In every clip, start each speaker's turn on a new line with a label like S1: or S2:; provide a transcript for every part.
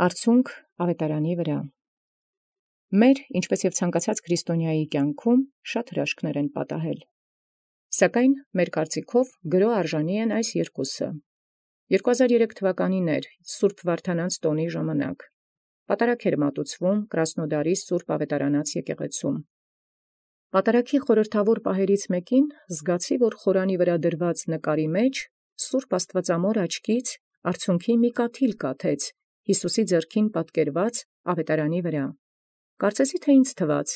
S1: Արցունք ավետարանի վրա։ Մեր, ինչպես և ցանկացած քրիստոնեայի կյանքում, շատ հրաշքներ են պատահել։ Սակայն մեր կարծիքով գրո արժանի են այս երկուսը։ 2003 թվականին էր Սուրբ Վարդանանց տոնի ժամանակ։ Պատարագ էր մատուցվում Կրասնոդարի Սուրբ Ավետարանաց եկեղեցում։ Պատարագի խորհրդավոր պահերից մեկին զգացի, որ խորանի վրա դրված նկարի մեջ Սուրբ Աստվածամոր աչքից արցունքի մի կաթիլ կաթեց Յիսուսի ձեռքին պատկերված ավետարանի վրա։ Կարծեցի, թե ինձ թված,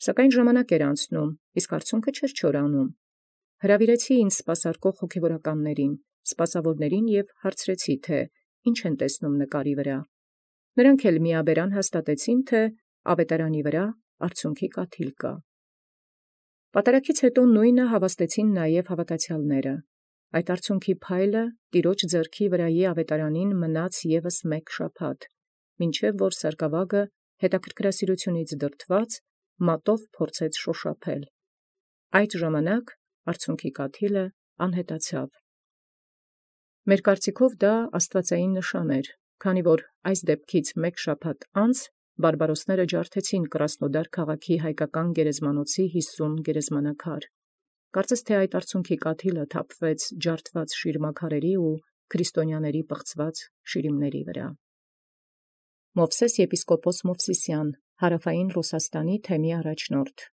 S1: սակայն ժամանակ էր անցնում, իսկ արցունքը չէր չորանում։ Հրավիրեցի ինձ սպասարկող հոգևորականներին, սպասավորներին և հարցրեցի, թե ինչ են տեսնում նկարի վրա։ Նրանք էլ միաբերան հաստատեցին, թե ավետարանի վրա արցունքի կաթիլ կա։ Պատարագից հետո նույնը հավաստեցին նաև հավատացյալները։ Այդ արցունքի փայլը տիրոջ ձեռքի վրայի ավետարանին մնաց ևս մեկ շաբաթ, մինչև որ սարկավագը հետաքրքրասիրությունից դրդված մատով փորձեց շոշափել։ Այդ ժամանակ արցունքի կաթիլը անհետացավ։ Մեր կարծիքով դա աստվածային նշան էր, քանի որ այս դեպքից մեկ շաբաթ անց բարբարոսները ջարդեցին Կրասնոդար քաղաքի հայկական գերեզմանոցի 50 գերեզմանակար։ Կարծես թե այդ արցունքի կաթիլը թափվեց ջարդված շիրմաքարերի ու քրիստոնյաների պղծված շիրիմների վրա։ Մովսես եպիսկոպոս Մովսիսյան, Հարավային Ռուսաստանի թեմի առաջնորդ։